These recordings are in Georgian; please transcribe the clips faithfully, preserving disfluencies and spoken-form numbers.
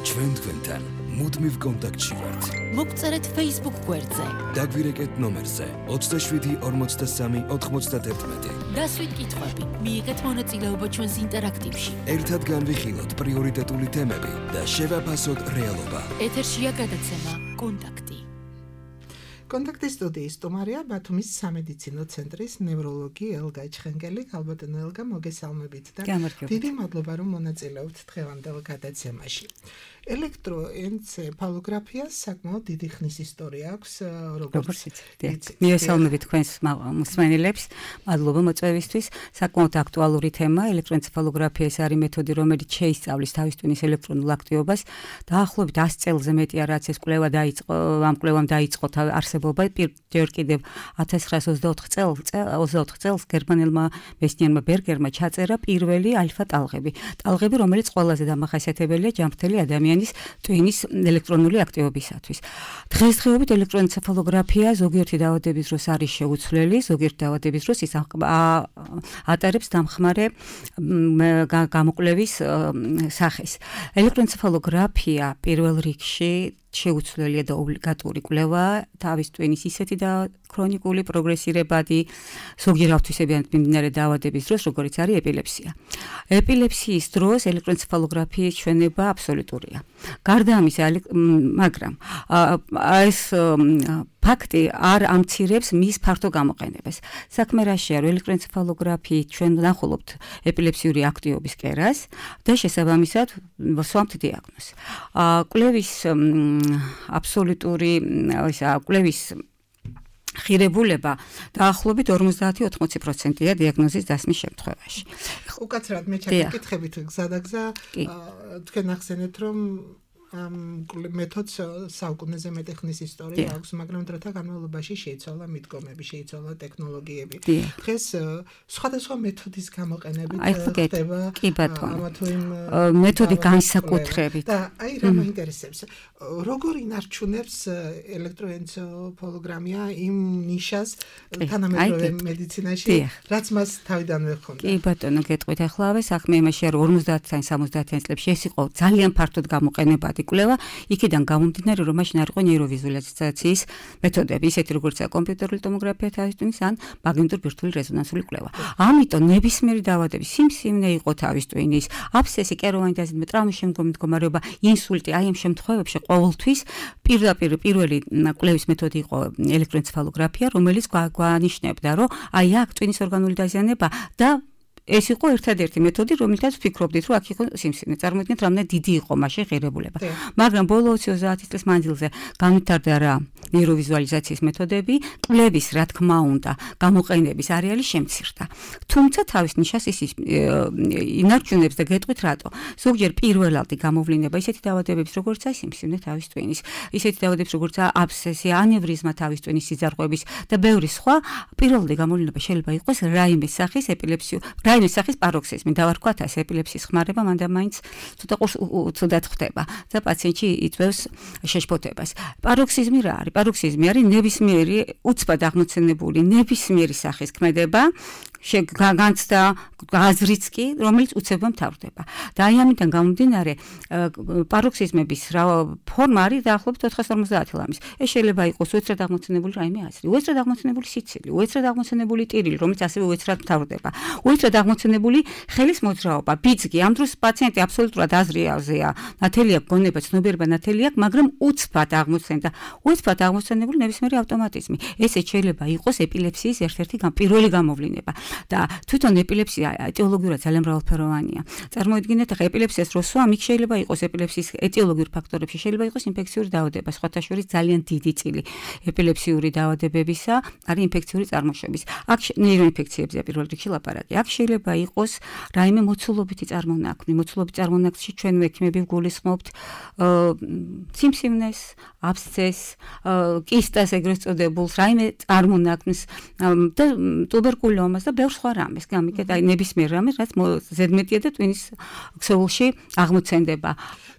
ჩვენ თქვენთან მუდმივ კონტაქტში ვართ. მოგწერეთ Facebook გვერდზე. დაგვირეკეთ ნომერზე ოცდაშვიდი ორმოცდასამი ოთხმოცდაათი. დასვით კითხვები, მიიღეთ მონაწილეობა ჩვენს ინტერაქტივში. ერთად განვიხილოთ პრიორიტეტული თემები და შევაფასოთ რეალობა. ეთერშია გადაცემა კონტაქტი. კონტაქტის სტუდიის სტუმარია ბათუმის სამედიცინო ცენტრის ნევროლოგი ელგა ჩხენგელი. ალბათო ელგა, მოგესალმებით და დიდი მადლობა რომ მონაწილეობთ დღევანდელ გადაცემაში. ელექტროენცეფალოგრაფიას საკმაოდ დიდი ხნის ისტორია აქვს, როგორც იცით. მიესალმებით თქვენს მსმენელებს, მადლობა მოწვევისთვის. საკმაოდ აქტუალური თემა ელექტროენცეფალოგრაფია არის მეთოდი, რომელიც შეისწავლის თავის ტვინის ელექტრონულ აქტივობას. დაახლოებით ას წელზე მეტია რაც ეს კვლევა დაიწყო, ამ კვლევამ დაიწყო არსებობა ჯერ კიდევ ათას ცხრაას ოცდაოთხ წელს გერმანელმა მეცნიერმა ბერგერმა ჩაწერა პირველი ალფა ტალღები. ტალღები, რომელიც ყველაზე დამახასიათებელია ჯანმრთელი ადამიანის ტვინის ელექტრონული აქტივობისათვის. დღესდღეობით ელექტროენცეფალოგრაფია ზოგიერთი დაავადების დროს არის შეუცვლელი, ზოგიერთი დაავადების დროს ის ატარებს დამხმარე გამოკვლევის სახეს. ელექტროენცეფალოგრაფია პირველ რიგში შეუცვლელია და ობლიგატური კვლევაა თავის ტვინის ისეთი და ქრონიკული პროგრესირებადი ზოგიერთი ავთვისებიანი მიმდინარე დაავადების დროს, როგორც არის ეპილეფსია. ეპილეფსიის დროს ელექტროენცეფალოგრაფიის ჩვენება აბსოლუტურია. გარდა ამისა, მაგრამ ეს ფაქტი არ ამცირებს მის ფართო გამოყენებას. საქმე რაშია, რომ ელექტროენცეფალოგრაფიით ჩვენ ვნახულობთ ეპილეფსიური აქტივობის კერას და შესაბამისად ვსვამთ დიაგნოზს. კვლევის აბსოლუტური ისა კვლევის ხირებულება დაახლოებით ორმოცდაათი ოცდაოთხ პროცენტია დიაგნოზის დასმის შემთხვევაში. უკაცრავად მე ჩაკითხებით გზა და გზა, თქვენ ახსენეთ რომ ამ მეთოდს საუკუნეზე მეტი ხნის ისტორია აქვს, მაგრამ დროთა განმავლობაში შეიცვალა მიდგომები, შეიცვალა ტექნოლოგიები. დღეს სხვადასხვა მეთოდის გამოყენებით ხდება ამა თუ იმ მეთოდი განსაკუთრებით. და აი რა მაინტერესებს, როგორ ინარჩუნებს ელექტროენცეფალოგრაფია იმ ნიშას თანამედროვე მედიცინაში, რაც მას თავიდანვე ჰქონდა. კი ბატონო, გეტყვით ახლა საქმე იმაშია, რომ ორმოცდაათიან სამოცდაათიან წლებში ეს იყო ძალიან ფართოდ გამოყენებადი კვლევა, იქიდან გამომდინარე, რომ მაშინ არ იყო ნეიროვიზუალიზაციის მეთოდები, ისეთი როგორიცაა კომპიუტერული ტომოგრაფია თავის ტვინის ან მაგნიტურ ბირთვული რეზონანსული კვლევა. ამიტომ ნებისმიერი დაავადების სიმსივნე იყო თავის ტვინის, აბსცესი, კეროვანი დაზიდვა, ტრამვის შემდგომი მდგომარეობა, ინსულტი, აი ამ შემთხვევებში ყოველთვის პირდაპირ პირველი კვლევის მეთოდი იყო ელექტროენცეფალოგრაფია, რომელიც გვანიშნებდა, რომ აი აქ ტვინის ორგანული დაზიანება და ეს იყო ერთადერთი მეთოდი, რომელთაც ვფიქრობდით, რომ აქ იყო სიმსივნე. წარმოიდგინეთ, რამდენი დიდი იყო მაშინ ღირებულება. მაგრამ ბოლო ოცდაათი წლის მანძილზე განვითარდა რა ნეიროვიზუალიზაციის მეთოდები, კვლევის, რა თქმა უნდა, გამოყენების არეალი შემცირდა. თუმცა თავის ნიშას ის ინარჩუნებს და გეტყვით რატო. ზოგჯერ პირველადი გამოვლენა ისეთი დაავადებების, როგორც აი სიმსივნე თავის ტვინის, ისეთი დაავადებების, როგორც აბსცესი, ანევრიზმა თავის ტვინის სიძარღვების და ბევრი სხვა, პირველადი გამოვლენა შეიძლება იყოს რაიმეს სახის ეპილეფსიუ რაიმეს სახის პაროქსიზმი, დავარქვათ ასე, ეპილეფსიის ხმარება მანდ მაინც ცოტა ცუდად ხდება და პაციენტში იწვევს შეშფოთებას. პაროქსიზმი რა არის? პაროქსიზმი არის ნებისმიერი უცბად აღმოცენებული ნებისმიერი სახის ქმედება, განცდა აზრიც კი, რომელიც უცებმა მთავრდება. და აი ამიდან გამომდინარე, პაროქსიზმების ფორმა არის დაახლოებით ოთხას ორმოცდაათი ლამის. ეს შეიძლება იყოს უეცრად აღმოცენებული რაიმე აზრი, უეცრად აღმოცენებული სიცილი, უეცრად აღმოცენებული ტირილი, რომელიც ასევე უეცრად მთავრდება. უეცრად აღმოცენებული ხელის მოძრაობა, ბიძგი. ამ დროს პაციენტი აბსოლუტურად აზრიაზეა, ნათელი აქვს გონება, ცნობიერება ნათელი აქვს, მაგრამ უცბად აღმოცენდა. უცბად აღმოცენებული ნებისმიერი ავტომატიზმი. ესეც შეიძლება იყოს ეპილეფსიის ერთ-ერთი პირველი გამოვლენა. და თვითონ ეპილეფსია ეტიოლოგიურად ძალიან მრავალფეროვანია. წარმოიდგინეთ, ახლა ეპილეფსიას რო სვამ, იქ შეიძლება იყოს ეპილეფსიის ეტიოლოგიურ ფაქტორებში, შეიძლება იყოს ინფექციური დაავადება, სხვათა შორის ძალიან დიდი წილი ეპილეფსიური დაავადებებისა არის ინფექციური წარმოშობის. აქ ნეიროინფექციებზია პირველ რიგში ლაპარაკი. აქ შეიძლება იყოს რაიმე მოცულობითი წარმონაქმნი. მოცულობითი წარმონაქმნში ჩვენ ექიმები გულისხმობთ სიმსივნეს, აბსცესს, კისტას ეგრეთ წოდებულს, რაიმე წარმონაქმნს და ტუბერკულოზას და ბევრ სხვა რამეს. გამიგეთ, აი ნებისმიერ რამეს, რაც ზედმეტია და ტვინის ქსოვილში აღმოცენდება.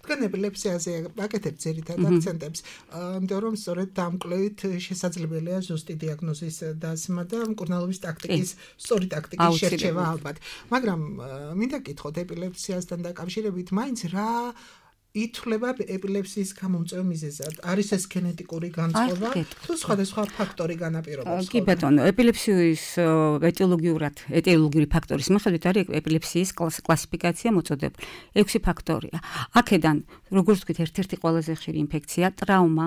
თქვენ ეპილეფსიაზე აკეთებთ ძირითად აქცენტებს, იმიტომ რომ სწორედ დამკვლევით შესაძლებელია ზუსტი დიაგნოზის დასმა და მკურნალობის ტაქტიკის, სწორი ტაქტიკის შერჩევა ალბათ. მაგრამ მინდა გითხოთ ეპილეფსიასთან დაკავშირებით, მაინც რა ითვლება ეპილეფსიის გამომწვევ მიზეზად? არის ეს გენეტიკური განწყობა თუ სხვადასხვა ფაქტორი განაპირობებს? კი ბატონო, ეპილეფსიის ეტიოლოგიურად, ეტიოლოგიური ფაქტორის მიხედვით არის ეპილეფსიის კლასიფიკაცია მოწოდებული. ექვსი ფაქტორია. აქედან, როგორც ვთქვით, ერთ-ერთი ყველაზე ხშირი ინფექცია, ტრავმა,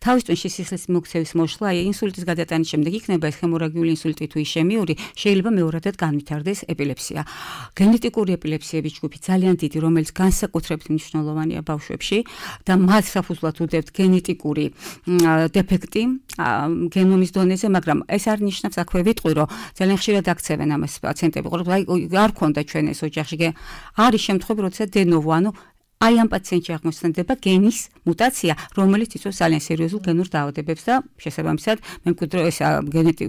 თავის ტვინში სისხლის მოქცევის მოშლა, აი ინსულტის გადატანის შემდეგ იქნება ეს ჰემორაგიული ინსულტი თუ ისემიური, შეიძლება მეორადად განვითარდეს ეპილეფსია. გენეტიკური ეპილეფსიების ჯგუფი ძალიან დიდი, რომელიც განსაკუთრებით მნიშვნელოვანია ბავშვებში და მათ საფუძვლად უდევთ გენეტიკური დეფექტი გენომის დონეზე, მაგრამ ეს არ ნიშნავს აქვე ვიტყვი, რომ ძალიან ხშირად აქცევენ ამას პაციენტები, რომ აი არ ქონდა ჩვენ ეს ოჯახში. არის შემთხვევები, როდესაც დენოვო, ანუ აი ამ პაციენტში აღმოჩნდება გენის მუტაცია, რომელიც იწვევს ძალიან სერიოზულ გენურ დაავადებებს და შესაბამისად მემკვიდრე ეს გენეტი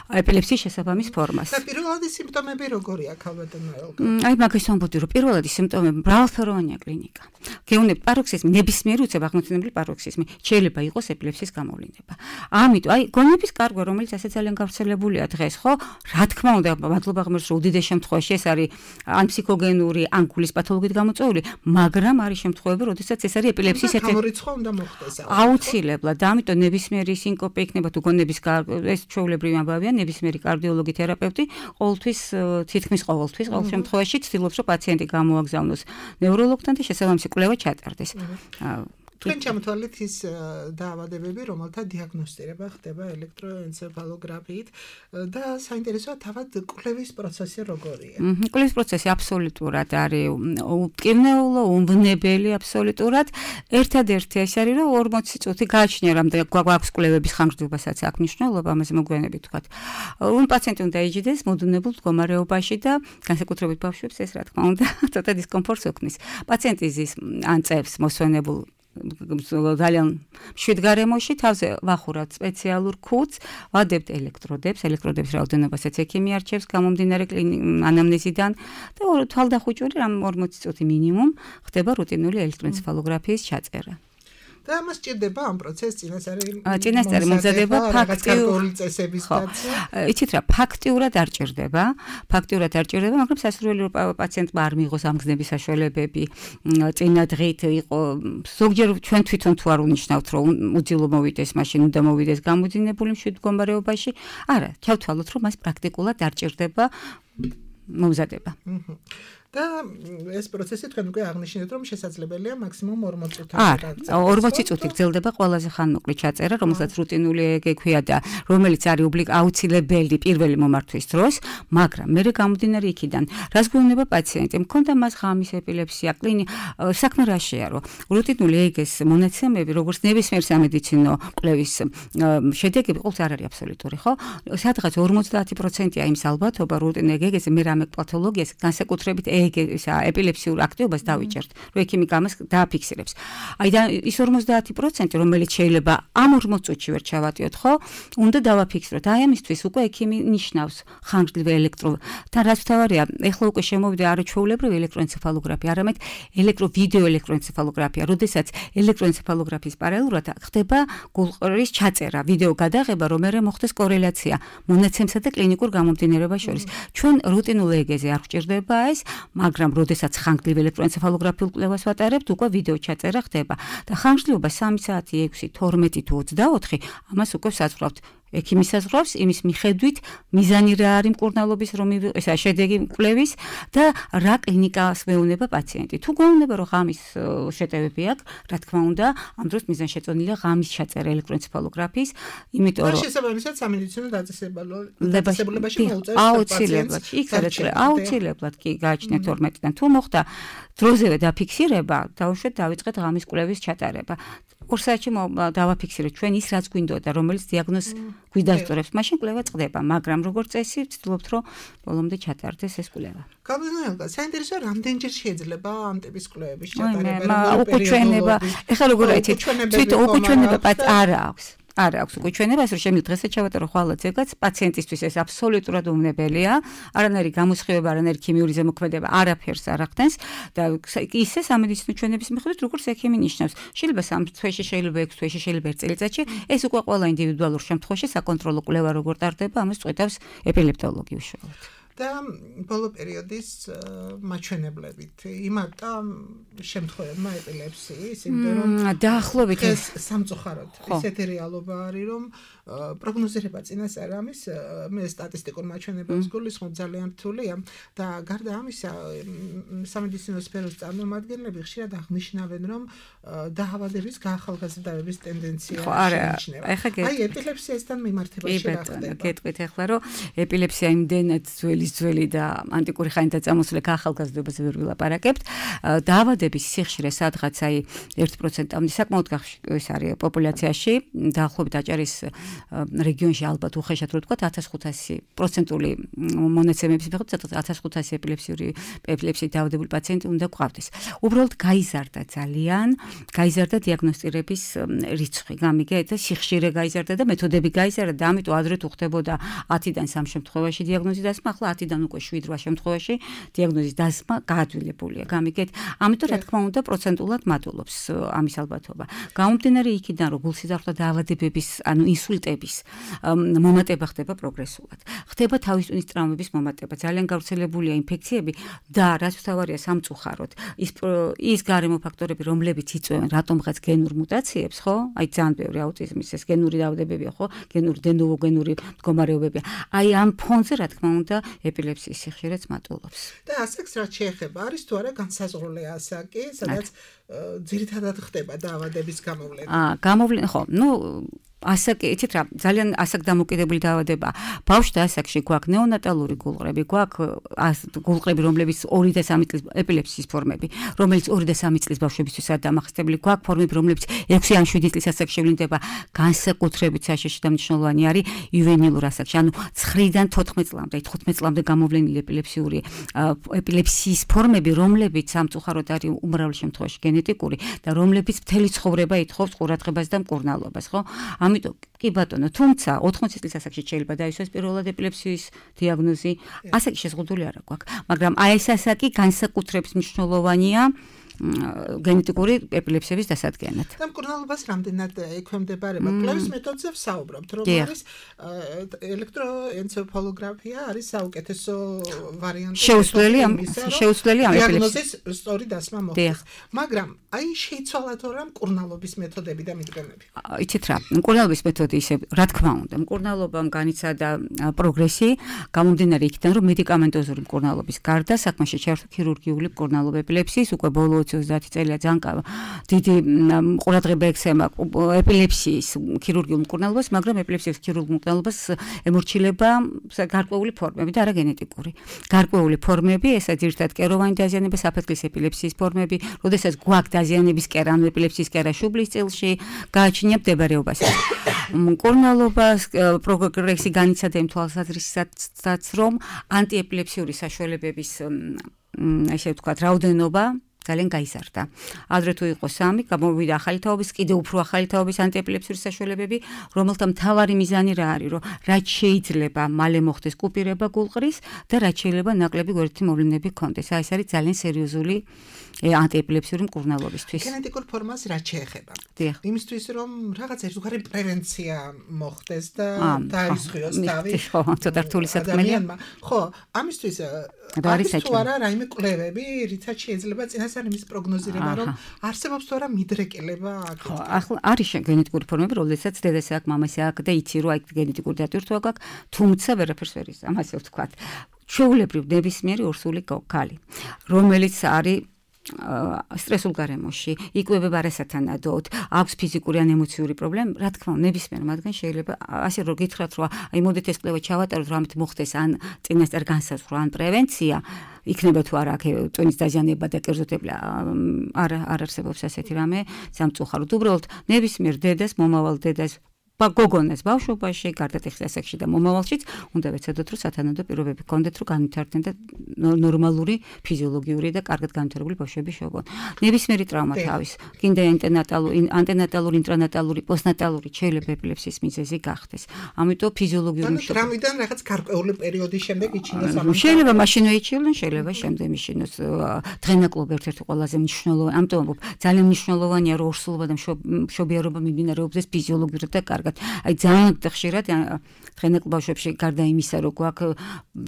ეპილეფსიის შესაბამის ფორმას. და პირველადი სიმპტომები როგორია, ქალბატონო ელგა? აი მაგას ვამბობდი, რომ პირველადი სიმპტომები მრავალფეროვანია კლინიკა. გეუნები პაროქსიზმი, ნებისმიერი უცებ აღმოცენებული პაროქსიზმი შეიძლება იყოს ეპილეფსიის გამოვლინება. ამიტომ აი გონების კარგვა, რომელიც ასე ძალიან გავრცელებულია დღეს, ხო? რა თქმა უნდა, მადლობა ღმერთს, რომ უდიდეს შემთხვევაში ეს არის ან ფსიქოგენური, ან გულის პათოლოგიით გამოწვეული, მაგრამ არის შემთხვევები, როდესაც ეს არის ეპილეფსიის ერთ-ერთი გამორიცხვა უნდა მოხდეს. აუცილებლად, და ამიტომ ნებისმიერი სინკოპე იქნება თუ გონების ეს ჩვეულებრივი ამბავია, ნებისმიერი კარდიოლოგი, თერაპევტი ყოველთვის თითქმის ყოველთვის ყოველ შემთხვევაში ცდილობს, რომ პაციენტი გამოაგზავნოს ნევროლოგთან და შესაბამისი კვლევა ჩატარდეს. თქვენ ჩამოთვალეთ ის დაავადებები, რომელთა დიაგნოსტირება ხდება ელექტროენცეფალოგრაფიით და საინტერესოა თავად კვლევის პროცესი როგორია? კვლევის პროცესი აბსოლუტურად არის მტკივნეულო, უნბნებელი აბსოლუტურად. ერთადერთი ეს არის, რომ ორმოცი წუთი გააჩნია, რამდენი გვაქვს კვლევების ხანგრძლივობასაც აქვს მნიშვნელობა, ამაზე მოგვიანებით ვთქვათ. უ პაციენტი უნდა იჯდეს მოდუნებულ მდგომარეობაში და განსაკუთრებით ბავშვებს ეს რა თქმა უნდა ცოტა დისკომფორტს ოქმნის. პაციენტი ზის ან წევს მოსვენებულ ძალიან მშვიდ გარემოში თავზე ვახურავთ სპეციალურ ქუდს, ვადებთ ელექტროდებს, ელექტროდების რაოდენობასაც ექიმი არჩევს გამომდინარე ანამნეზიდან და თვალდახუჭული რამ ორმოცი წუთი მინიმუმ ხდება რუტინული ელექტროენცეფალოგრაფიის ჩაწერა. და ამას სჭირდება ამ პროცესს წინასწარი წინასწარი მომზადება ფაქტიური წესების დაცვა. იცით რა, ფაქტიურად არ ჭირდება, ფაქტიურად არ ჭირდება, მაგრამ სასურველი პაციენტმა არ მიიღოს ამ გზნების საშუალებები, წინა დღით იყო ზოგჯერ ჩვენ თვითონ თუ არ უნიშნავთ, რომ უძილო მოვიდეს, მაშინ უნდა მოვიდეს გამოძინებული მშვიდ მდგომარეობაში. არა, ჩავთვალოთ, რომ მას პრაქტიკულად არ ჭირდება მომზადება. და ეს პროცესი თქვენ უკვე აღნიშნეთ, რომ შესაძლებელია მაქსიმუმ ორმოცი წუთი. არა, ორმოცი წუთი გრძელდება ყველაზე ხანმოკლე ჩაწერა, რომელსაც რუტინული ექქვია და რომელიც არის აუცილებელი პირველი მომართვის დროს, მაგრამ მერე გამომდინარე იქიდან, რას გვეუბნება პაციენტი, მქონდა მას ღამის ეპილეფსია, კლინი, საქმე რაშია, რომ რუტინული ეგეს მონაცემები, როგორც ნებისმიერ სამედიცინო კვლევის შედეგები, ყოველთვის არ არის აბსოლუტური, ხო? სადღაც ორმოცდაათი პროცენტია იმის ალბათობა რუტინულ ეგეზე მე რამე პათოლოგიას განსაკუთრებით ისა ეპილეფსიურ აქტივობას დავიჭერთ, რომ ექიმი გამას დააფიქსირებს. აი და ის ორმოცდაათი პროცენტი, რომელიც შეიძლება ამ ორმოც წუთში ვერ ჩავატიოთ, ხო? უნდა დავაფიქსიროთ. აი ამისთვის უკვე ექიმი ნიშნავს ხანგრძლივ ელექტრო. და რაც თავარია, ეხლა უკვე შემოვიდა არა ჩვეულებრივი ელექტროენცეფალოგრაფია, არამედ ელექტრო-ვიდეო ელექტროენცეფალოგრაფია, როდესაც ელექტროენცეფალოგრაფიის პარალელურად ხდება გულყრის ჩაწერა, ვიდეო გადაღება, რომ მერე მოხდეს კორელაცია მონაცემსა და კლინიკურ გამომდინარეობას შორის. ჩვენ რუტინულ ეგეზე არ გვჭირდება ეს, მაგრამ როდესაც ხანგრძლივ ელექტროენცეფალოგრაფიულ კვლევას ვატარებთ, უკვე ვიდეო ჩაწერა ხდება და ხანგრძლივობა სამი საათი, ექვსი, თორმეტი თუ ოცდაოთხი, ამას უკვე საზღვრავთ. ექიმი საზღვრავს იმის მიხედვით, მიზანი რა არის მკურნალობის რომ ესა შედეგი კვლევის და რა კლინიკას მეუნება პაციენტი. თუ გვეუბნება რომ ღამის შეტევები აქვს, რა თქმა უნდა, ამ დროს მიზანშეწონილია ღამის ჩაწერა ელექტროენცეფალოგრაფიის, იმიტომ რომ შესაბამისად სამედიცინო დაწესებულებაში მოუწევს აუცილებლად, იქ სადაც აუცილებლად კი გააჩნიათ თორმეტიდან. თუ მოხდა დროზევე დაფიქსირება, დაუშვათ დავიწყეთ ღამის კვლევის ჩატარება. ორ საათში დავაფიქსირეთ ჩვენ ის რაც გვინდოდა, რომელიც დიაგნოზს გვიდასწორებს, მაშინ კვლევა წყდება, მაგრამ როგორც წესი ვცდილობთ, რომ ბოლომდე ჩატარდეს ეს კვლევა. გამოდიოდა, საინტერესოა, რამდენჯერ შეიძლება ამ ტიპის კვლევების ჩატარება, უკუჩვენება, ეხლა როგორ აიცით, თვითონ უკუჩვენება პატ არა აქვს. არ აქვს უკუჩვენება, ეს რომ შემიძლია დღესაც ჩავატარო ხვალ ზეგაც, პაციენტისთვის ეს აბსოლუტურად უნებელია, არანაირი გამოსხივება, არანაირი ქიმიური ზემოქმედება არაფერს არ ახდენს და ისე სამედიცინო ჩვენების მიხედვით, როგორც ექიმი ნიშნავს, შეიძლება სამ თვეში, შეიძლება ექვს თვეში, შეიძლება ერთ წელიწადში, ეს უკვე ყველა ინდივიდუალურ შემთხვევაში საკონტროლო კვლევა როგორ ტარდება, ამას წყვეტავს ეპილეპტოლოგი უშუალოდ. და ბოლო პერიოდის მაჩვენებლებით იმარტა შემთხვევებმა ეპილეფსიის, იმიტომ რომ დაახლოებით ეს სამწუხაროდ ისეთი რეალობა არის, რომ პროგნოზირება წინასწარ ამის მე სტატისტიკურ მაჩვენებლებს გულისხმობ ძალიან რთულია და გარდა ამისა სამედიცინო სფეროს წარმომადგენლები ხშირად აღნიშნავენ, რომ დაავადების გაახალგაზრდების ტენდენცია შეიმჩნევა. აი ეპილეფსიასთან მიმართებაში რა ხდება? გეტყვით ახლა, რომ ეპილეფსია იმდენად ძველი ძველი და ანტიკური ხანიდან წამოსული ახალგაზრდობაზე ვერ ვილაპარაკებთ. დაავადების სიხშირე სადღაც აი ერთ პროცენტამდე საკმაოდ ეს არის პოპულაციაში, დაახლოებით აჭარის რეგიონში ალბათ უხეშად რო ვთქვა ათას ხუთასი პროცენტული მონაცემების მიხედვით ათას ხუთასი ეპილეფსიური ეპილეფსიით დაავადებული პაციენტი უნდა გვყავდეს. უბრალოდ გაიზარდა ძალიან, გაიზარდა დიაგნოსტირების რიცხვი, გამიგეთ, სიხშირე გაიზარდა და მეთოდები გაიზარდა და ამიტომ ადრე თუ ხდებოდა ათიდან სამ შემთხვევაში დიაგნოზის დასმა, ახლა ათიდან უკვე შვიდ რვა შემთხვევაში დიაგნოზის დასმა გაადვილებულია, გამიგეთ. ამიტომ რა თქმა უნდა პროცენტულად მატულობს ამის ალბათობა. გამომდინარე იქიდან, რომ გულსიზრხეთა დაავადებების, ანუ ინსულტების მომატება ხდება პროგრესულად. ხდება თავის ტვინის ტრაუმების მომატება, ძალიან გავრცელებულია ინფექციები და რაც თავარია სამწუხაროდ, ის ის გარემო ფაქტორები, რომლებიც იწვევენ რატომღაც გენურ მუტაციებს, ხო? აი ძალიან ბევრი აუტიზმის ეს გენური დაავადებებია, ხო? გენური დენოვო გენური მდგომარეობებია. აი ამ ფონზე რა თქმა უნდა ეპილეფსიის სიხშირეც მატულობს. და ასაკს რაც შეეხება, არის თუ არა განსაზღვრული ასაკი, სადაც ძირითადად ხდება დაავადების გამოვლენა? აა გამოვლენა, ხო, ნუ ასაკი, იცით რა, ძალიან ასაკ დამოკიდებული დაავადება. ბავშვთა ასაკში გვაქვს ნეონატალური გულყრები, გვაქვს გულყრები, რომლებიც ორი და სამი წლის ეპილეფსიის ფორმები, რომელიც ორი და სამი წლის ბავშვებისთვისაც დამახასიათებელი, გვაქვს ფორმები, რომლებიც ექვსი ან შვიდი წლის ასაკში ვლინდება, განსაკუთრებით საშიში და მნიშვნელოვანი არის იუვენილურ ასაკში, ანუ ცხრიდან თოთხმეტ წლამდე, თხუთმეტ წლამდე გამოვლენილი ეპილეფსიური ეპილეფსიის ფორმები, რომლებიც სამწუხაროდ არის უმრავლეს შემთხვევაში გენეტიკური და რომლებიც მთელი ცხოვრება ითხოვს ყურადღებას და მკურნალობას, ხო? ამიტომ კი ბატონო, თუმცა ოთხმოცი წლის ასაკში შეიძლება დაისვას პირველად ეპილეფსიის დიაგნოზი, ასაკი შეზღუდული არ აქვს, მაგრამ აი ეს ასაკი განსაკუთრებით მნიშვნელოვანია გენეტიკური ეპილეფსიების დასადგენად. და მკურნალობას რამდენად ექვემდებარება? კვლევის მეთოდზე ვსაუბრობთ, რომ არის ელექტროენცეფალოგრაფია არის საუკეთესო ვარიანტი. შეუცვლელი ამ შეუცვლელი ამ დიაგნოზის სწორი დასმა მოხდეს. მაგრამ აი შეიცვალა თუ რა მკურნალობის მეთოდები და მიდგომები? იცით რა, მკურნალობის მეთოდი ისე, რა თქმა უნდა, მკურნალობამ განიცადა პროგრესი, გამომდინარე იქიდან, რომ მედიკამენტოზური მკურნალობის გარდა საქმეში ჩაერთო ქირურგიული მკურნალობა ეპილეფსიის, უკვე ბოლო ოცდაათი წელია ძალიან დიდი ყურადღება ექცემა ეპილეფსიის ქირურგიულ მკურნალობას, მაგრამ ეპილეფსიის ქირურგიულ მკურნალობას ემორჩილება გარკვეული ფორმები და არა გენეტიკური. გარკვეული ფორმები, ესა ძირითადად კეროვანი დაზიანება, საფეთქლის ეპილეფსიის ფორმები, როდესაც გვაქვს დაზიანების კერა, ანუ ეპილეფსიის კერა შუბლის წილში, გააჩნია მდებარეობას. მკურნალობას პროგრესი განიცადა იმ თვალსაზრისითაც, რომ ანტიეპილეფსიური საშუალებების ესე ვთქვათ, რაოდენობა ძალიან გაიზარდა. ადრე თუ იყო სამი, გამოვიდა ახალი თაობის, კიდევ უფრო ახალი თაობის ანტიეპილეფსიური საშუალებები, რომელთა მთავარი მიზანი რა არის, რომ რაც შეიძლება მალე მოხდეს კუპირება გულყრის და რაც შეიძლება ნაკლები გვერდითი მოვლენები ჰქონდეს. აი ეს არის ძალიან სერიოზული ანტიეპილეფსიური მკურნალობისთვის. გენეტიკურ ფორმას რაც შეეხება. დიახ. იმისთვის რომ რაღაც ერთგვარი პრევენცია მოხდეს და დაისხიოს თავი. ხო, ცოტა რთული საქმეა. ხო, ამისთვის არის თუ არა რაიმე კვლევები, რითაც შეიძლება წინასწარ იმის პროგნოზირება, რომ არსებობს თუ არა მიდრეკილება აქ. ხო, ახლა არის გენეტიკური ფორმები, როდესაც დედას აქვს, მამას აქვს და იცი რომ აი გენეტიკური დატვირთვა გაქვს, თუმცა ვერაფერს ვერ იცი, ამასე ვთქვათ. ჩვეულებრივ ნებისმიერი ორსული ქალი, რომელიც არის სტრესულ გარემოში, იკვებება არასათანადოდ, აქვს ფიზიკური ან ემოციური პრობლემა, რა თქმა უნდა, ნებისმიერ მათგან შეიძლება ასე რომ გითხრათ, რომ აი მოდით ეს კვლევა ჩავატაროთ, რომ ამით მოხდეს ან წინასწარ განსაზღვრა, ან პრევენცია, იქნება თუ არა აქ ტვინის დაზიანება და კერძოდება არ არ არსებობს ასეთი რამე, სამწუხაროდ. უბრალოდ ნებისმიერ დედას, მომავალ დედას გოგონას ბავშვობაში, გარდატეხის ასაკში და მომავალშიც უნდა ვეცადოთ, რომ სათანადო პირობები ჰქონდეთ, რომ განვითარდნენ და ნორმალური, ფიზიოლოგიური და კარგად განვითარებული ბავშვები შეობონ. ნებისმიერი ტრავმა თავის, კიდე ანტენატალური, ანტენატალური, ინტრანატალური, პოსტნატალური შეიძლება ეპილეფსიის მიზეზი გახდეს. ამიტომ ფიზიოლოგიური მშობლები. ტრავმიდან რაღაც გარკვეული პერიოდის შემდეგ იჩინოს ამას. შეიძლება მაშინვე იჩინენ, შეიძლება შემდეგ იჩინოს. დღენაკლობ ერთ-ერთი ყველაზე მნიშვნელოვანი, ამიტომ ძალიან მნიშვნელოვანია, რომ ორსულობა და მშობიარობა მიმდინარეობდეს ფიზიოლოგიურად და კარგად. ვთქვათ, აი ძალიან ხშირად დღენდელ ბავშვებში გარდა იმისა, რომ გვაქვს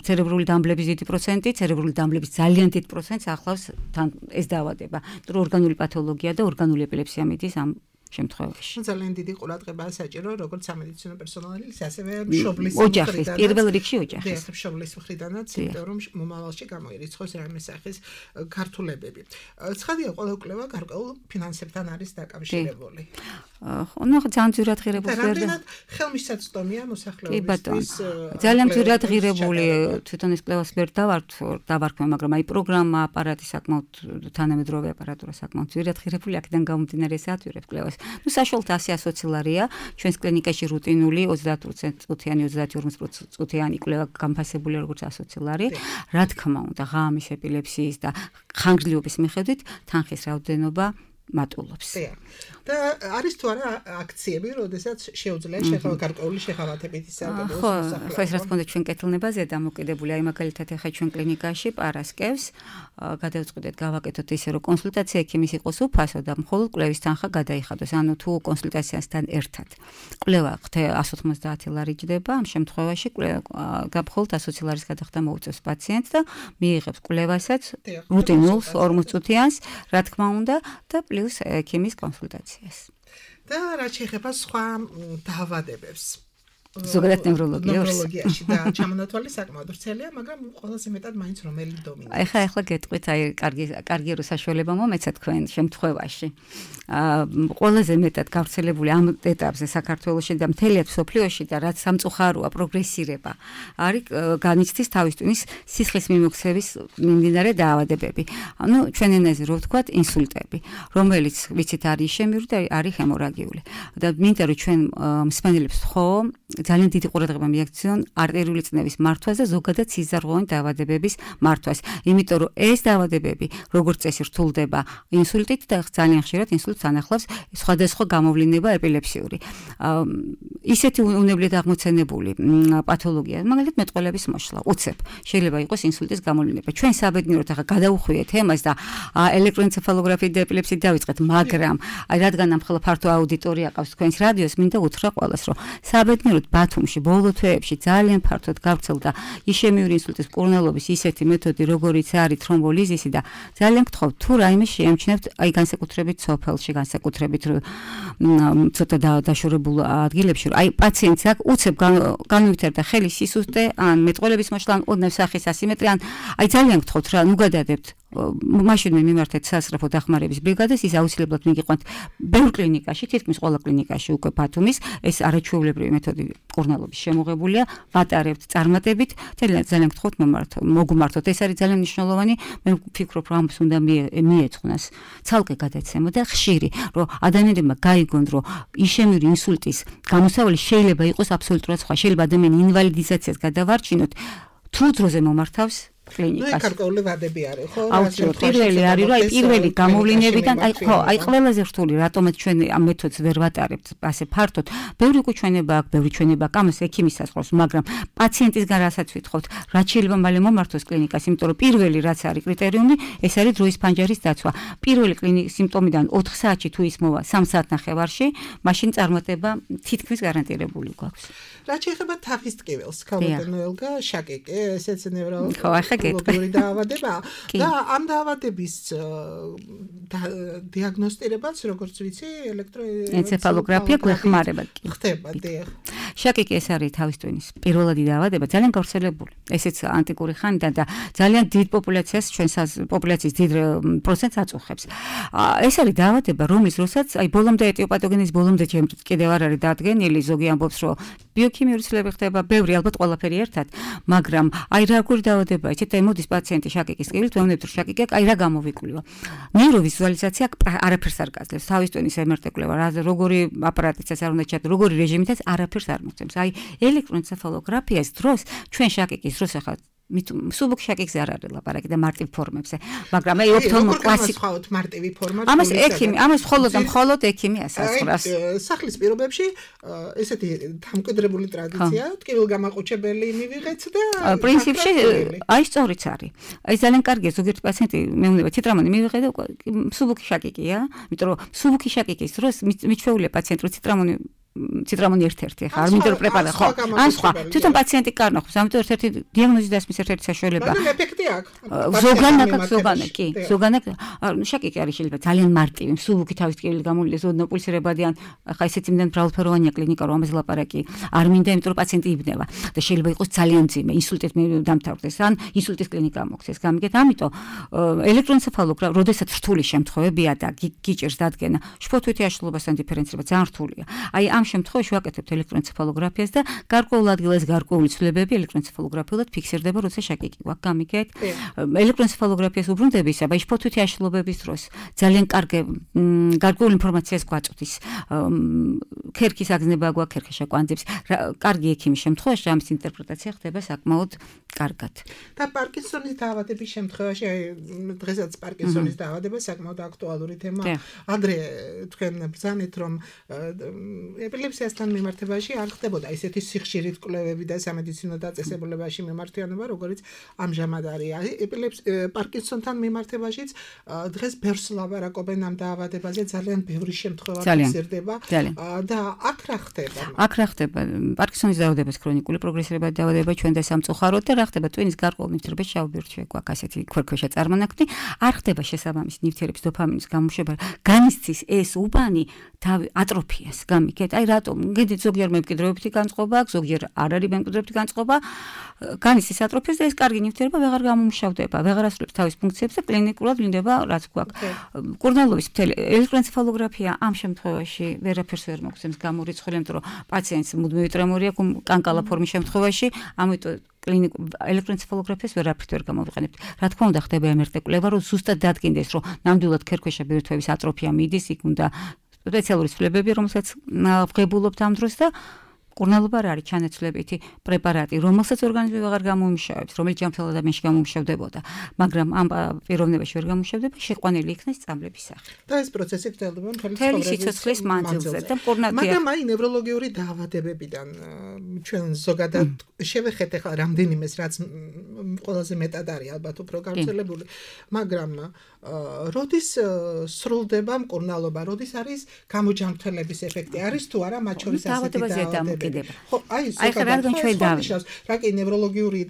ცერებრული დამბლების დიდი პროცენტი, ცერებრული დამბლების ძალიან დიდ პროცენტს ახლავს თან ეს დაავადება. იმიტომ რომ ორგანული პათოლოგია და ორგანული ეპილეფსია მიდის ამ შემთხვევაში. ძალიან დიდი ყურადღებაა საჭირო, როგორც სამედიცინო პერსონალის, ასევე მშობლის ოჯახის, პირველ რიგში ოჯახის. დიახ, მშობლის მხრიდანაც, იმიტომ რომ მომავალში გამოირიცხოს რამე სახის ქართულებები. ცხადია, ყველა კვლევა გარკვეულ ფინანსებთან არის დაკავშირებული. ხო, ნუ ძალიან ძირად ღირებული და რამდენად ხელმისაწვდომია მოსახლეობისთვის. ძალიან ძირად ღირებული თვითონ ეს კვლევას ვერ დავარქვე, მაგრამ აი პროგრამა, აპარატი საკმაოდ თანამედროვე აპარატურა საკმაოდ ძირად ღირებული, აქედან გამომდინარე საათვირებ კვლევას. ნუ საშუალოდ ასი ასოცილარია, ჩვენს კლინიკაში რუტინული ოცდაათ წუთიანი, ოცდაათი ორმოცი წუთიანი კვლევა განფასებული როგორც ასოცილარი. რა თქმა უნდა, ღამის ეპილეფსიის და ხანგრძლივობის მიხედვით თანხის რაოდენობა მატულობს. და არის თუ არა აქციები, როდესაც შეუძლია შეხება გარკვეული შეხავათებით ისარგებლოს მოსახლეობა. ხო, ეს რა თქმა უნდა ჩვენ კეთილნებაზე დამოკიდებული, აი მაგალითად ახლა ჩვენ კლინიკაში პარასკევს გადავწყვიტეთ გავაკეთოთ ისე რომ კონსულტაცია ექიმის იყოს უფასო და მხოლოდ კვლევის თანხა გადაიხადოს. ანუ თუ კონსულტაციასთან ერთად კვლევა εκατს ოთხმოცდაათი ლარი ჯდება, ამ შემთხვევაში კვლევა მხოლოდ ასოცი ლარის გადახდა მოუწევს პაციენტს და მიიღებს კვლევასაც რუტინულს ორმოცი წუთიანს, რა თქმა უნდა და პლუს ექიმის კონსულტაციას. და რა შეიძლება სხვა დაავადებებს? ზოგადად ნევროლოგიაში და ჩამონათვალი საკმაოდ ვრცელია, მაგრამ ყველაზე მეტად მაინც რომელი დომინირებს. ეხლა ეხლა გეტყვით, აი კარგი კარგი რო საშუალება მომეცა თქვენ შემთხვევაში. აა ყველაზე მეტად გავრცელებული ამ ეტაპზე საქართველოში და მთელია მსოფლიოში და რაც სამწუხაროა პროგრესირება არის განიცდის თავის ტვინის სისხლის მიმოქცევის მიმდინარე დაავადებები. ანუ ჩვენ ენაზე რო ვთქვათ ინსულტები, რომელიც ვიცით არის ისემიური და არის ჰემორაგიული. და მინდა რომ ჩვენ მსმენელებს ხო ძალიან დიდი ყურადღება მიაქციონ არტერიული წნევის მართვას და ზოგადად სიზარღვოვანი დაავადებების მართვას. იმიტომ რომ ეს დაავადებები როგორც წესი რთულდება ინსულტით და ძალიან ხშირად ინსულტს ანახლავს სხვადასხვა გამოვლენა ეპილეფსიური. ისეთი უნებლიეთ აღმოცენებული პათოლოგია, მაგალითად მეტყველების მოშლა, უცებ შეიძლება იყოს ინსულტის გამოვლენა. ჩვენ საბედნიეროდ ახლა გადავუხვიეთ ემას და ელექტროენცეფალოგრაფიით და ეპილეფსიით დავიწყეთ, მაგრამ აი რადგან ამ ხოლმე ფართო აუდიტორია ყავს თქვენს რადიოს, მინდა უთხრა ყველას, რომ საბედნიეროდ ბათუმში ბოლო თვეებში ძალიან ფართოდ გავრცელდა ისემიური ინსულტის მკურნალობის ისეთი მეთოდი, როგორიც არის თრომბოლიზისი და ძალიან გთხოვთ, თუ რაიმე შეამჩნევთ, აი განსაკუთრებით სოფელში, განსაკუთრებით ცოტა დაშორებულ ადგილებში, აი პაციენტს აქ უცებ განუვითარდა ხელი სისუსტე, ან მეტყველების მოშლა, ან ოდნავ სახის ასიმეტრია, ან აი ძალიან გთხოვთ რა, ნუ გადადებთ მაშინვე მიმართეთ სასწრაფო დახმარების ბრიგადას, ის აუცილებლად მიგიყვანთ ბევრ კლინიკაში, თითქმის ყველა კლინიკაში უკვე ბათუმის ეს არაჩვეულებრივი მეთოდი მკურნალობის შემოღებულია, ვატარებთ წარმატებით, ძალიან ძალიან გთხოვთ მომართოთ, მოგმართოთ, ეს არის ძალიან მნიშვნელოვანი, მე ვფიქრობ, რომ ამას უნდა მიეწყვნას ცალკე გადაცემა და ხშირი, რომ ადამიანებმა გაიგონ, რომ ისემიური ინსულტის გამოსავალი შეიძლება იყოს აბსოლუტურად სხვა, შეიძლება ადამიანი ინვალიდიზაციას გადავარჩინოთ, თუ დროზე მომართავს კლინიკაში. ნუ გარკვეული ვადები არის, ხო? აუცილებლად პირველი არის, რომ აი პირველი გამოვლენებიდან, აი ხო, აი ყველაზე რთული, რატომაც ჩვენ ამ მეთოდს ვერ ვატარებთ ასე ფართოდ. ბევრი უჩვენება აქვს, ბევრი ჩვენება აქვს, ამას ექიმის საზღვრავს, მაგრამ პაციენტისგან რასაც ვითხოვთ, რაც შეიძლება მალე მომართოს კლინიკას, იმიტომ რომ პირველი რაც არის კრიტერიუმი, ეს არის დროის ფანჯარის დაცვა. პირველი კლინიკის სიმპტომიდან ოთხ საათში თუ ის მოვა სამ საათნახევარში, მაშინ წარმატება თითქმის გარანტირებული გვაქვს. რაც შეეხება თაღის ტკივილს, ქალბატონელგა შაკიკი, ესეც ნევროლოგი. ხო, ახლა გეტყვი დაავადება და ამ დაავადების დიაგნოსტირებაც, როგორც ვიცი, ელექტროენცეფალოგრაფია გვეხმარება კი. ხდება, დიახ. შაკიკი ეს არის თავის ტვინის პირველადი დაავადება, ძალიან გავრცელებული. ესეც ანტიკური ხანიდან და ძალიან დიდ პოპულაციას, ჩვენს პოპულაციის დიდ პროცენტს აწუხებს. ეს არის დაავადება, რომლის დროსაც აი ბოლომდე ეტიოპათოგენის ბოლომდე კიდევ არ არის დადგენილი, ზოგი ამბობს, რომ ბიოქიმიური ცვლილება ხდება, ბევრი ალბათ ყველაფერი ერთად, მაგრამ აი რა როგორი დაავადება, იცით, აი მოდის პაციენტი შაკიკის ტკივილით, ვეუბნებთ, რომ შაკიკი აი რა გამოვიკვლიო. ნეიროვიზუალიზაცია არაფერს არ გაძლევს, თავის ტვინის ემ ერ ტე კვლევა, რა როგორი აპარატიც არ უნდა ჩათ, როგორი რეჟიმითაც არაფერს არ მოწევს. აი ელექტროენცეფალოგრაფიას დროს ჩვენ შაკიკის დროს ახლა სუბუქ შაკიკზე არ არის ლაპარაკი და მარტივ ფორმებზე, მაგრამ აი ოფთალმო კლასიკ ხავთ მარტივი ფორმა. ამას ექიმი, ამას მხოლოდ და მხოლოდ ექიმი ასაზღვრავს. სახლის პირობებში ესეთი დამკვიდრებული ტრადიცია, ტკივილგამაყუჩებელი მივიღეთ და პრინციპში აი სწორიც არის. აი ძალიან კარგია, ზოგიერთი პაციენტი მეუბნება ციტრამონი მივიღე და სუბუქი შაკიკია, იმიტომ რომ სუბუქი შაკიკის დროს მიჩვეულია პაციენტს, რომ ციტრამონი ციტრამონი ერთ-ერთი ხა არ მინდა რომ პრეპარატი ხო ან სხვა თვითონ პაციენტი კარნახობს ამიტომ ერთ-ერთი დიაგნოზი დასმის ერთ-ერთი საშუალება მაგრამ ეფექტი აქვს ზოგანაკ ზოგანაკ კი ზოგანაკ შაკიკი არის შეიძლება ძალიან მარტივი მსუბუქი თავის ტკივილი გამოვლინდეს ოდნავ პულსირებადი ან ხა ისეთი იმდენ მრავალფეროვანია კლინიკა რომ ამაზე ლაპარაკი არ მინდა იმიტომ რომ პაციენტი იბნევა და შეიძლება იყოს ძალიან მძიმე ინსულტით დამთავრდეს ან ინსულტის კლინიკა მოხდეს გამიგეთ ამიტომ ელექტროენცეფალოგრაფია როდესაც რთული შემთხვევებია და გიჭირს დადგენა შფოთვითი აშლილობასთან დიფერენცირება ძალიან რთულია აი ამ შემთხვევაში ვაკეთებთ ელექტროენცეფალოგრაფიას და გარკვეულ ადგილას გარკვეული ცვლილებები ელექტროენცეფალოგრაფიულად ფიქსირდება როცა შაკიკი გვაქვს გამიგეთ ელექტროენცეფალოგრაფიას უბრუნდებისა და შფოთვითი აშლილობების დროს ძალიან კარგი გარკვეულ ინფორმაციას გვაწვდის ქერქის აგზნება გვაქვს ქერქეშა კვანძებს კარგი ექიმის შემთხვევაში ამის ინტერპრეტაცია ხდება საკმაოდ კარგად და პარკინსონის დაავადების შემთხვევაში დღესაც პარკინსონის დაავადება საკმაოდ აქტუალური თემაა ადრე თქვენ ბრძანეთ რომ ეპილეფსიასთან მიმართებაში არ ხდებოდა ისეთი სიხშირით კვლევები და სამედიცინო დაწესებულებაში მიმართვიანობა როგორც ამჟამად არის ეპილეფს პარკინსონთან მიმართებაშიც დღეს ბევრს ლაპარაკობენ ამ დაავადებაზე ძალიან ბევრი შემთხვევა ფიქსირდება და აქ რა ხდება აქ რა ხდება პარკინსონის დაავადებას ქრონიკული პროგრესირებადი დაავადება ჩვენ და სამწუხაროდ და რა ხდება ტვინის გარკვეულ ნივთიერებაში შავბირთვი გვაქვს ასეთი ქერქქვეშა წარმონაქმნი არ ხდება შესაბამისი ნივთიერების დოფამინის გამოშვება განიცდის ეს უბანი თავი ატროფიას გამიგეთ აი რატომ გედით ზოგჯერ მემკვიდრეობითი განწყობა აქვს ზოგჯერ არ არის მემკვიდრეობითი განწყობა განიცდის ატროფიას და ეს კარგი ნივთიერება ვეღარ გამომუშავდება ვეღარ ასრულებს თავის ფუნქციებს და კლინიკურად ვლინდება რაც გვაქვს კურნალობის მთელი ელექტროენცეფალოგრაფია ამ შემთხვევაში ვერაფერს ვერ მოგცემს გამორიცხული იმიტომ რომ პაციენტს მუდმივი ტრემორი აქვს კანკალა ფორმის შემთხვევაში ამიტომ კლინიკ ელექტროენცეფალოგრაფიას ვერაფრით ვერ გამოვიყენებთ. რა თქმა უნდა ხდება ემერტ კვლევა, რომ ზუსტად დადგინდეს, რომ ნამდვილად ქერქქვეშა ბირთვების ატროფია მიდის, იქ უნდა სპეციალური ცვლილებები, რომელსაც ვღებულობთ ამ დროს და კურნალობა რა არის ჩანაცვლებითი პრეპარატი, რომელსაც ორგანიზმი ვეღარ გამომუშავებს, რომელიც ჯანმრთელ ადამიანში გამომუშავდებოდა, მაგრამ ამ პიროვნებაში ვერ გამომუშავდება, შეყვანილი იქნეს წამლების სახით. და ეს პროცესი გრძელდება მთელი სიცოცხლის მანძილზე და კურნალია. მაგრამ აი ნევროლოგიური დაავადებებიდან ჩვენ ზოგადად შევეხეთ ახლა რამდენიმეს რაც ყველაზე მეტად არის ალბათ უფრო გავრცელებული, მაგრამ როდის სრულდება მკურნალობა, როდის არის გამოჯანმრთელების ეფექტი, არის თუ არა მათ შორის ასეთი დაავადებები? ხო, აი, ზოგადად რა კი ნევროლოგიური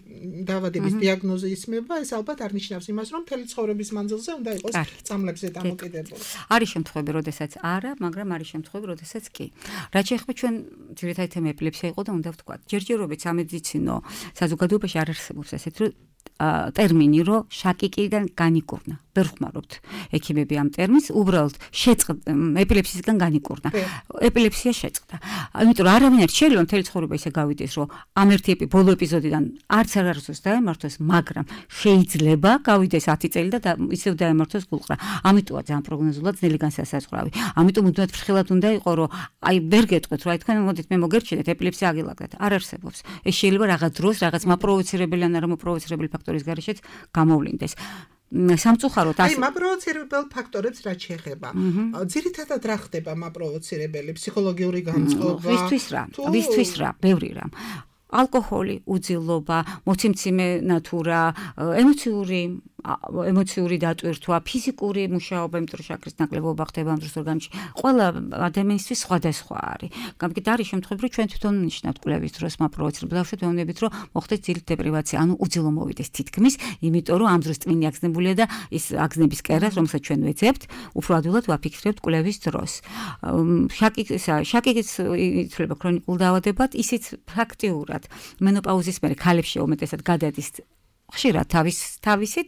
დაავადების დიაგნოზი ისმება, ეს ალბათ არ ნიშნავს იმას, რომ მთელი ცხოვრების მანძილზე უნდა იყოს წამლებზე დამოკიდებული. არის შემთხვევები, როდესაც არა, მაგრამ არის შემთხვევები, როდესაც კი. რაც შეეხება ჩვენ ძირითადი თემა ეპილეფსია იყო და უნდა ვთქვა, ჯერჯერობით სამედიცინო საზოგადოებაში არ არსებობს ესეთი ტერმინი, რომ შაკიკიდან განიკურნა. ვერ ხმარობთ ექიმები ამ ტერმინს, უბრალოდ შეწყდა ეპილეფსიისგან განიკურნა. ეპილეფსია შეწყდა. ამიტომ არავინ არ შეიძლება მთელი ცხოვრება ისე გავიდეს, რომ ამ ერთი ბოლო ეპიზოდიდან არც არ არსოს დაემართოს, მაგრამ შეიძლება გავიდეს ათი წელი და ისევ დაემართოს გულყრა. ამიტომა ძალიან პროგნოზულად ძნელი განსასაზღვრავი. ამიტომ უდმევად ფრთხილად უნდა იყოს, რომ აი ვერ გეტყვით, რა თქვენ მოდით მე მოგერჩინეთ ეპილეფსია აგილაგდეთ. არ არსებობს. ეს შეიძლება რაღაც დროს, რაღაც მაპროვოცირებელი ან არა მაპროვოცირებელი ფაქტორის გარეშეც გამოვლინდეს. სამწუხაროდ აი მაპროვოცირებელ ფაქტორებს რაც შეეხება. ძირითადად რა ხდება მაპროვოცირებელი ფსიქოლოგიური განწყობა? ვისთვის რა? ვისთვის რა? ბევრი რა. ალკოჰოლი, უძილობა, მოციმციმე ნატურა, ემოციური ემოციური დატვირთვა, ფიზიკური მუშაობა, იმიტომ რომ შაქრის ნაკლებობა ხდება ამ დროს ორგანიზმში. ყველა ადამიანისთვის სხვადასხვა არის. გამიგეთ არის შემთხვევები, რომ ჩვენ თვითონ ნიშნავთ კვლევის დროს მაპროვოცირებელ ბავშვებს ვეუბნებით, რომ მოხდეს ძილით დეპრივაცია, ანუ უძილო მოვიდეს თითქმის, იმიტომ რომ ამ დროს ტვინი აგზნებულია და ის აგზნების კერას, რომელსაც ჩვენ ვეძებთ, უფრო ადვილად ვაფიქსირებთ კვლევის დროს. შაკიკისა, შაკიკის ითვლება ქრონიკულ დაავადებად, ისიც ფაქტიურად მენოპაუზის მერე ქალებში უმეტესად გადადის ხშირად თავის თავისით,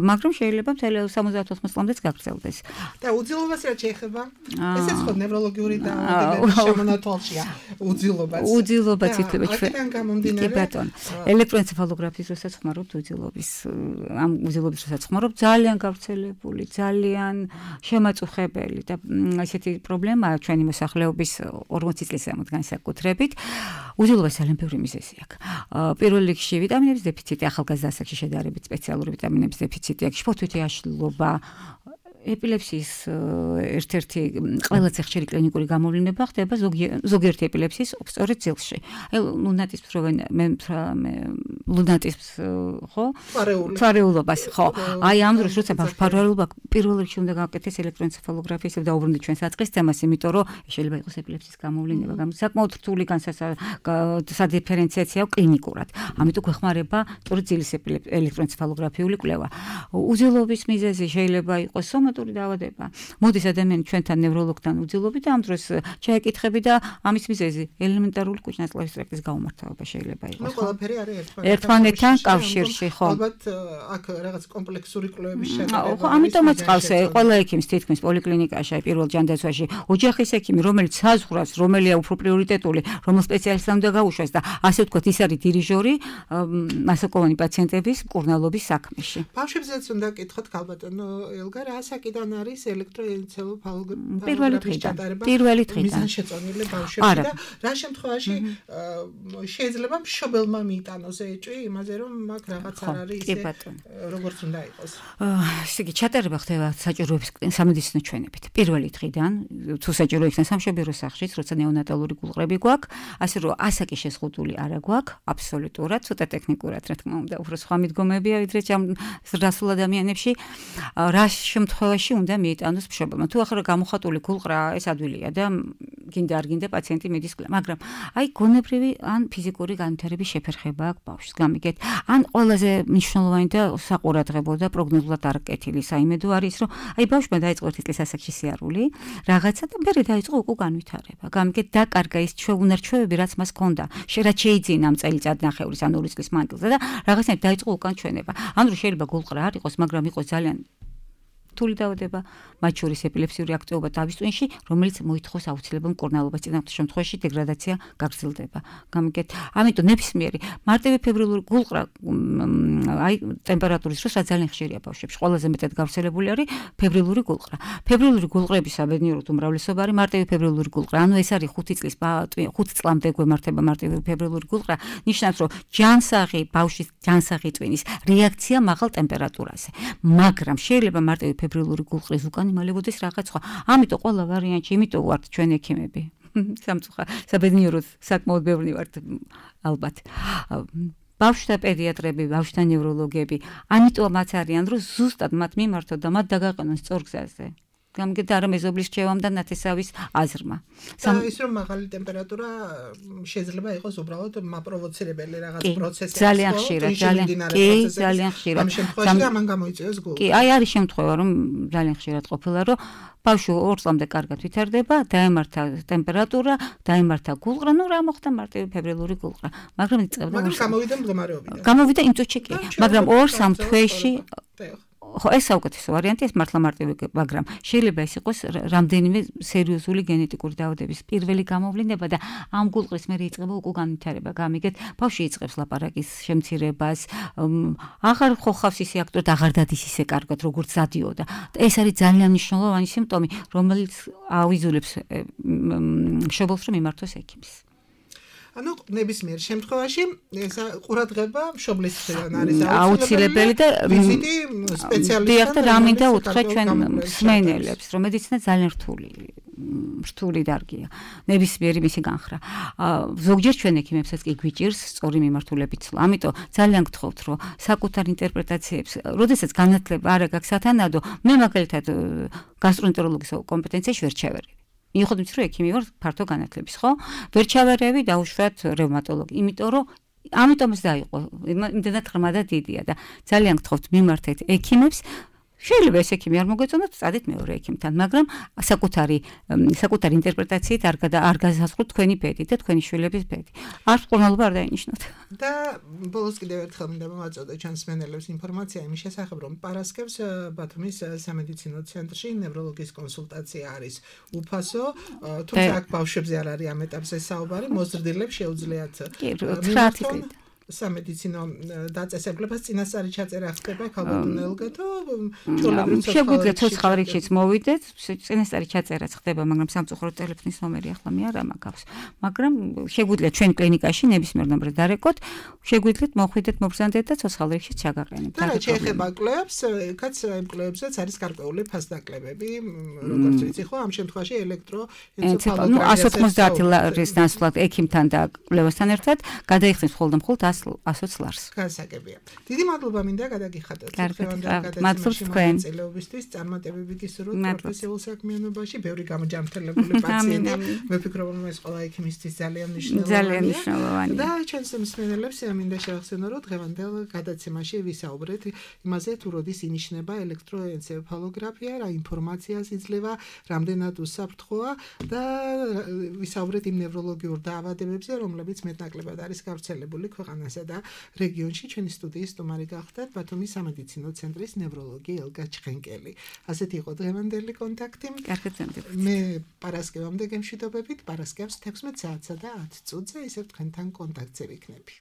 მაგრამ შეიძლება მთელი სამოცდაოთხ წლამდეც გაგრძელდეს. და უძილობას რაც შეეხება, ესეც ხო ნევროლოგიური დაავადებების შემონათვალშია. უძილობაც. უძილობაც ითვლება ჩვენ. აქედან გამომდინარე. კი ბატონო. ელექტროენცეფალოგრაფიის დროსაც ხმარობთ უძილობის, ამ უძილობის დროსაც ხმარობთ ძალიან გავრცელებული, ძალიან შემაწუხებელი და ესეთი პრობლემაა ჩვენი მოსახლეობის ორმოცი წლის ზემოთ განსაკუთრებით. უძილობას ძალიან ბევრი მიზეზი აქვს. პირველ რიგში ვიტამინების დეფიციტი, ახალგაზრდა ასაკში შედარებით სპეციალური ვიტამინების დეფიციტი აქვს, შფოთვითი აშლილობა, ეპილეფსიის ერთ-ერთი ყველაზე ხშირი კლინიკური გამოვლინება ხდება ზოგიერთი ეპილეფსიის სწორედ ძილში. აი ლუნატიზმს რო მე ლუნატიზმს ხო? ფარეულობას ხო. აი ამ დროს როცა ფარეულობა პირველ რიგში უნდა გავაკეთდეს ელექტროენცეფალოგრაფიის და დაუბრუნდეთ ჩვენს საწყის თემას, იმიტომ რომ შეიძლება იყოს ეპილეფსიის გამოვლინება, საკმაოდ რთული სადიფერენციაციაა კლინიკურად. ამიტომ გვეხმარება სწორედ ძილის ელექტროენცეფალოგრაფიული კვლევა. უძილობის მიზეზი შეიძლება იყოს სომატური დაავადება. მოდის ადამიანი ჩვენთან ნევროლოგთან უძილობი და ამ დროს ჩაეკითხები და ამის მიზეზი ელემენტარული კუჭ-ნაწლავის ტრაქტის გაუმართლება შეიძლება იყოს. ნუ ყველაფერი არის ერთმანეთთან კავშირში, ხო. ალბათ აქ რაღაც კომპლექსური კვლევების შედეგი. ხო, ამიტომაც ყავს ყველა ექიმს თითქმის პოლიკლინიკაში, აი პირველ ჯანდაცვაში, ოჯახის ექიმი, რომელიც საზღვრავს, რომელია უფრო პრიორიტეტული, რომელ სპეციალისტთან უნდა გაუშვას და ასე ვთქვათ, ის არის დირიჟორი მასაკოვანი პაციენტების მკურნალობის საქმეში. ბავშვებზეც უნდა კითხოთ ქალბატონო ელგა, რა საკიდან არის ელექტროენცეფალოგრაფიის პირველი დღიდან. პირველი დღიდან. მიზანშეწონილი ბავშვები და რა შემთხვევაში შეიძლება მშობელმა მიიტანოს ეჭვი იმაზე, რომ მაგ რაღაც არ არის ისე როგორც უნდა იყოს. ესე იგი, ჩატარება ხდება საჭიროების სამედიცინო ჩვენებით. პირველი დღიდან, თუ საჭირო იქნება სამშობლო სახლშიც, როცა ნეონატალური გულყრები გვაქვს, ასე რომ ასაკი შეზღუდული არა გვაქვს, აბსოლუტურად, ცოტა ტექნიკურად, რა თქმა უნდა, უფრო სხვა მიდგომებია, ვიდრე რასულ ადამიანებში. რა შემთხვევაში უნდა მიიტანოს მშობელმა. თუ ახლა გამოხატული გულყრა, ეს ადვილია და გინდა არ გინდა პაციენტი მიდის კლება, მაგრამ აი გონებრივი ან ფიზიკური განვითარების შეფერხება აქვს ბავშვს. გამიგეთ, ან ყველაზე მნიშვნელოვანი და საყურადღებო და პროგნოზულად არ კეთილი საიმედო არის, რომ აი ბავშვმა დაიწყო ერთი წლის ასაკში სიარული, რაღაცა და მერე დაიწყო უკვე განვითარება. გამიგეთ, დაკარგა ის ჩვეუნარჩვევები, რაც მას ჰქონდა. რაც შეიძინა ამ წელიწადნახევრის ან ორი წლის მანძილზე და რაღაცნაირად დაიწყო უკან ჩვენება. ამ დროს შეიძლება გულყრა არ იყოს, მაგრამ იყოს ძალიან რთული დაავადება, მათ შორის ეპილეფსიური აქტივობა თავის ტვინში, რომელიც მოითხოვს აუცილებლად მკურნალობას, წინასწარ შემთხვევაში დეგრადაცია გაგრძელდება. გამიგეთ, ამიტომ ნებისმიერი მარტივი ფებრილური გულყრა, აი ტემპერატურის დროს ძალიან ხშირია ბავშვებში. ყველაზე მეტად გავრცელებული არის ფებრილური გულყრა. ფებრილური გულყრების საბედნიეროდ უმრავლესობა არის მარტივი ფებრილური გულყრა. ანუ ეს არის ხუთი წლის ხუთი წლამდე გვემართება მარტივი ფებრილური გულყრა. ნიშნავს, რომ ჯანსაღი ბავშვის ჯანსაღი ტვინის რეაქცია მაღალ ტემპერატურაზე. მაგრამ შეიძლება მარტივი ფებრილური გულყრის უკან იმალებოდეს რაღაც სხვა. ამიტომ ყველა ვარიანტი, იმიტომ ვართ ჩვენ ექიმები. სამწუხაროდ, საბედნიეროდ საკმაოდ ბევრი ვართ ალბათ. ბავშვთა პედიატრები, ბავშვთა ნევროლოგები, ამიტომაც არიან, რომ ზუსტად მათ მიმართოთ და მათ დაგაყენონ სწორ გზაზე. გამიგეთ, არა მეზობლის რჩევამ და ნათესავის აზრმა. და ის რომ მაღალი ტემპერატურა შეიძლება იყოს უბრალოდ მაპროვოცირებელი რაღაც პროცესი. ძალიან ხშირად, ძალიან კი, ძალიან ხშირად. ამ შემთხვევაში ამან გამოიწვიოს გულყრა. კი, აი არის შემთხვევა, რომ ძალიან ხშირად ყოფილა, რომ ბავშვი ორ წლამდე კარგად ვითარდება, დაემართა ტემპერატურა, დაემართა გულყრა, ნუ რა მოხდა მარტივი ფებრილური გულყრა. მაგრამ იწყებდა მაგრამ გამოვიდა მდგომარეობიდან. გამოვიდა იმ წუთში კი, მაგრამ ორ სამ თვეში ხო, ეს საუკეთესო ვარიანტია, ეს მართლა მარტივი, მაგრამ შეიძლება ეს იყოს რამდენიმე სერიოზული გენეტიკური დაავადების პირველი გამოვლინება და ამ გულყრის მერე იწყება უკვე განვითარება. გამიგეთ, ბავშვი იწყებს ლაპარაკის შემცირებას, აღარ ხოხავს ისე აქტიურად, აღარ დადის ისე კარგად, როგორც დადიოდა. ეს არის ძალიან მნიშვნელოვანი სიმპტომი, რომელიც აუიზულებს მშობელს, რომ მიმართოს ექიმს. ანუ ნებისმიერ შემთხვევაში ეს ყურადღება მშობლის მხრიდან არის აუცილებელი და ვიზიტი სპეციალისტთან და რამინდა უთხრა ჩვენ მსმენელებს, რომ მედიცინა ძალიან რთული რთული დარგია. ნებისმიერი მისი განხრა. ზოგჯერ ჩვენ ექიმებსაც კი გვიჭირს სწორი მიმართულებით ცლა. ამიტომ ძალიან გთხოვთ, რომ საკუთარ ინტერპრეტაციებს, როდესაც განათლება არ აქვს სათანადო, მე მაგალითად გასტროენტეროლოგის კომპეტენციაში ვერ ჩავერევი. მიუხედავად რომ ექიმი ვარ ფართო განათლების, ხო? ვერ ჩავერევი დაუშვათ რევმატოლოგი, იმიტომ რომ ამიტომაც დაიყო, იმდენად ღრმა და დიდია და ძალიან გთხოვთ მიმართეთ ექიმებს. შეიძლება ეს ექიმი არ მოგეწონათ, წადით მეორე ექიმთან, მაგრამ საკუთარი საკუთარი ინტერპრეტაციით არ არ გასაზღვროთ თქვენი ბედი და თქვენი შვილების ბედი. არ მკურნალობა არ დაინიშნოთ. და ბოლოს კიდევ ერთხელ მინდა მომაწოდო ჩვენს მსმენელებს ინფორმაცია იმის შესახებ, რომ პარასკევს ბათუმის სამედიცინო ცენტრში ნევროლოგის კონსულტაცია არის უფასო, თუმცა აქ ბავშვებზე არ არის ამ ეტაპზე საუბარი, მოზრდილებს შეუძლიათ კი, სამედიცინო დაწესებულებას წინასწარი ჩაწერა ხდება ქალბატონელგა თუ შეგვიძლია ცოცხალ რიგშიც მოვიდეთ, წინასწარი ჩაწერაც ხდება, მაგრამ სამწუხაროდ ტელეფონის ნომერი ახლა მე არ ამაგავს. მაგრამ შეგვიძლია ჩვენ კლინიკაში ნებისმიერ ნომრად დარეკოთ, შეგვიძლიათ მოხვიდეთ, მოგზანდეთ და ცოცხალ რიგშიც ჩაგაყენებთ. და რა შეეხება კლუბს, კაც იმ კლუბებსაც არის გარკვეული ფასდაკლებები, როგორც ვიცი ხო, ამ შემთხვევაში ელექტროენცეფალოგრაფია. ნუ εκατს ოცდაათი ლარის ნაცვლად ექიმთან და კლუბასთან ერთად გადაიხსნის მხოლოდ და მხოლოდ ასოც ლარს. გასაგებია. დიდი მადლობა მინდა გადაგიხადოთ. მადლობს თქვენ. წელობისთვის წარმატებები გისურვოთ პროფესიულ საქმიანობაში, ბევრი გამოჯანმრთელებული პაციენტი. მე ვფიქრობ, რომ ეს ყველა ექიმისთვის ძალიან მნიშვნელოვანია. ძალიან მნიშვნელოვანია. და ჩვენს მსმენელებს მინდა შევახსენო, რომ დღევანდელ გადაცემაში ვისაუბრეთ იმაზე, თუ როდის ინიშნება ელექტროენცეფალოგრაფია, რა ინფორმაციას იძლევა, რამდენად უსაფრთხოა და ვისაუბრეთ იმ ნევროლოგიურ დაავადებებზე, რომლებიც მეტნაკლებად არის გავრცელებული ქვეყანასა და რეგიონში. ჩვენი სტუდიის სტუმარი გახდათ ბათუმის სამედიცინო ცენტრის ნევროლოგი ელგა ჩხენკელი. ასეთი იყო დღევანდელი კონტაქტი. მე პარასკევამდე გემშვიდობებით, პარასკევს თექვსმეტ საათსა და ათ წუთზე ისევ თქვენთან კონტაქტზე ვიქნები.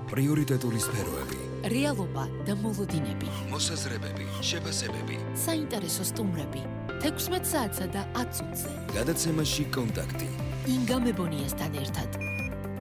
პრიორიტეტული სფეროები, რეალობა და მოლოდინები, მოსაზრებები, შეფასებები, საინტერესო სტუმრები, თექვსმეტ საათსა და ათ წუთზე. გადაცემაში კონტაქტი. ინგა მებონიასთან ერთად.